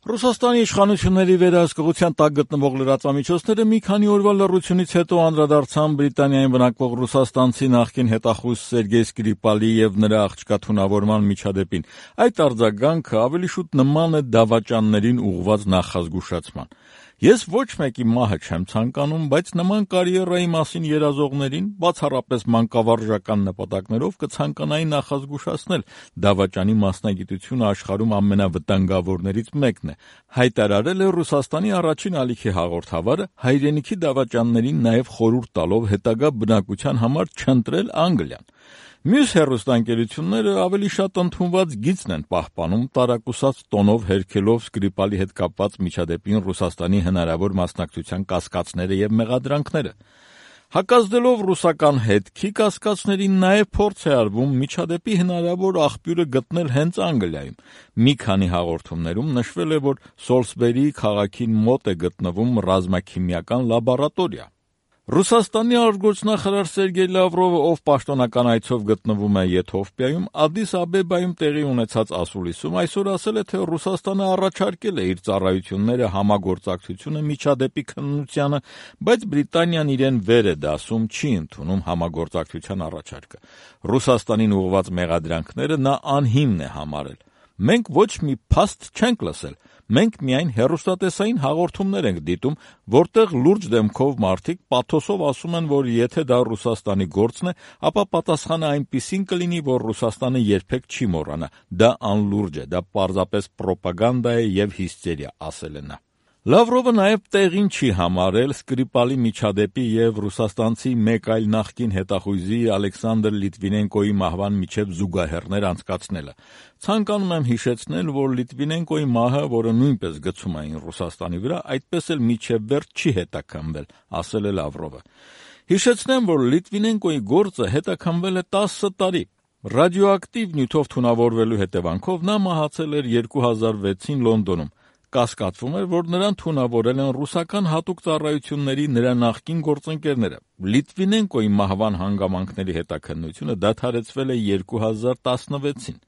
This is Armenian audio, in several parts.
Ռուսաստանի իշխանությունների վերահսկողության տակ գտնվող լրատվամիջոցները մի քանի օրվա լռությունից հետո անդրադարձան Բրիտանիայում բնակվող ռուսաստանցի նախկին հետախույզ Սերգեյ Սկրիպալի եւ նրա աղջկա թունավորման միջադեպին։ Այդ արձագանքը ավելի շուտ նման է դավաճաններին ուղղված նախազգուշացման։ Ես ոչ մեկի մահը չեմ ցանկանում, բայց նման կարիերայի մասին երազողներին, բացառապես մանկավարժական նպատակներով, կցանկանայի նախազգուշացնել դավաճանի մասնագիտությունը աշխարհում ամենավտանգավորներից մեկն է, հայտարարել է Ռուսաստանի առաջին ալիքի հաղորդավարը, հայրենիքի դավաճաններին նաև խորհուրդ տալով հետագա բնակության համար չընտրել Անգլիան։ Մյուս հեռուստաընկերությունները ավելի շատ ընդունված գիծն են պահպանում, տարակուսած տոնով հերքելով Սկրիպալի հետ կապված միջադեպին Ռուսաստանի հնարավոր մասնակցության կասկածները եւ մեղադրանքները։ Հակազդելով ռուսական հետքի կասկածներին նաև փորձ է արվում միջադեպի հնարավոր աղբյուրը գտնել հենց Անգլիայում։ Մի քանի հաղորդումներում նշվել է, որ Սոլսբերի քաղաքին մոտ է գտնվում ռազմաքիմիական լաբորատորիա։ Ռուսաստանի արտգործնախարար Սերգեյ Լավրովը, ով պաշտոնական այցով գտնվում է Եթովպիայում, Ադիս Աբեբայում տեղի ունեցած ասուլիսում այսօր ասել է, թե Ռուսաստանը առաջարկել է իր ծառայությունները համագործակցությունը միջադեպի քննությանը, բայց Բրիտանիան իրեն վեր է դասում, չի ընդունում համագործակցության առաջարկը։ Ռուսաստանին ուղղված մեղադրանքները նա անհիմն է համարել։ Մենք ոչ մի փաստ չենք լսել, մենք միայն հեռուստատեսային հաղորդումներ ենք դիտում, որտեղ լուրջ դեմքով մարդիկ պաթոսով ասում են, որ եթե դա Ռուսաստանի գործն է, ապա պատասխանը այնպիսին կլինի, որ Ռուսաստանը երբեք չի մոռանա, դա անլուրջ է, դա պարզապես պրոպագանդա է եւ հիստերիա, ասել է նա։ Լավրովը նաև տեղին չի համարել Սկրիպալի միջադեպի եւ ռուսաստանցի մեկ այլ նախկին հետախույզի Ալեքսանդր Լիտվինենկոյի մահվան միջև զուգահեռներ անցկացնելը։ Ցանկանում եմ հիշեցնել, որ Լիտվինենկոյի մահը, որը նույնպես գցում էին Ռուսաստանի վրա, այդպես էլ միջև վերջ չի հետաքննվել, ասել է Լավրովը։ Հիշեցնեմ, որ Լիտվինենկոյի գործը հետաքննվել է 10 տարի։ Ռադիոակտիվ նյութով թունավորվելու հետևանքով նա մահացել էր 2006-ին Լոնդոնում։ Կասկածվում էր, որ նրան թունավորել են ռուսական հատուկ ծառայությունների նրա նախկին գործընկերները։ Լիտվինենկոյի մահվան հանգամանքների հետաքննությունը դադարեցվել է 2016-ին։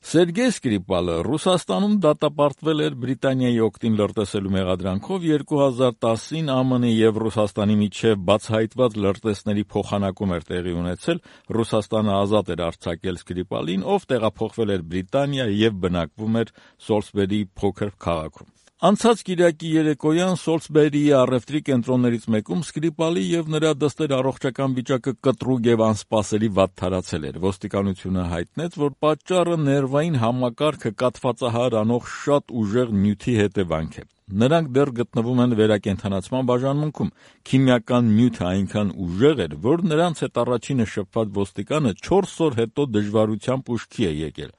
Սերգեյ Սկրիպալը Ռուսաստանում դատապարտվել էր Բրիտանիայի օգտին լրտեսելու մեղադրանքով 2010-ին ԱՄՆ-ի եւ Ռուսաստանի միջև բացահայտված լրտեսների փոխանակում էր տեղի ունեցել, Ռուսաստանը ազատ էր արձակել Սկրիպալին, ով տեղափոխվել էր Բրիտանիա եւ բնակվում էր Սոլսբերի փոքր քաղաքում։ Անցած կիրակի երեկոյան Սոլսբերիի առևտրի կենտրոններից մեկում Սկրիպալի եւ նրա դստեր առողջական վիճակը կտրուկ եւ անսպասելի վատթարացել էր։ Ոստիկանությունը հայտնեց, որ պատճառը ներվային համակարգը կաթվածահար անող շատ ուժեղ նյութի հետևանք է։ Նրանք դեռ գտնվում են վերակենդանացման բաժանմունքում։ Քիմիական նյութը այնքան ուժեղ էր, որ նրանց հետ առաջինը շփված ոստիկանը 4 օր հետո դժվարությամբ ուշքի է եկել։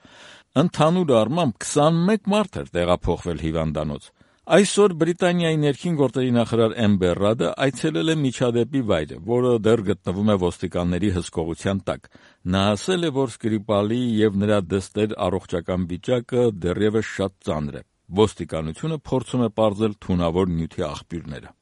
Ընդհանուր առմամբ 21 մարդ էր տեղափոխվել հիվանդանոց։ Այսօր Բրիտանիայի ներքին գործերի նախարար Էմբեր Ռադը այցելել է միջադեպի վայրը, որը դեռ գտնվում է ոստիկանների հսկողության տակ։ Նա ասել է, որ Սկրիպալի եւ նրա դստեր առողջական վիճակը դեռևս շատ ծանր է։ Ոստիկանությունը փորձում է պարզել թունավոր նյութի աղբյուրները։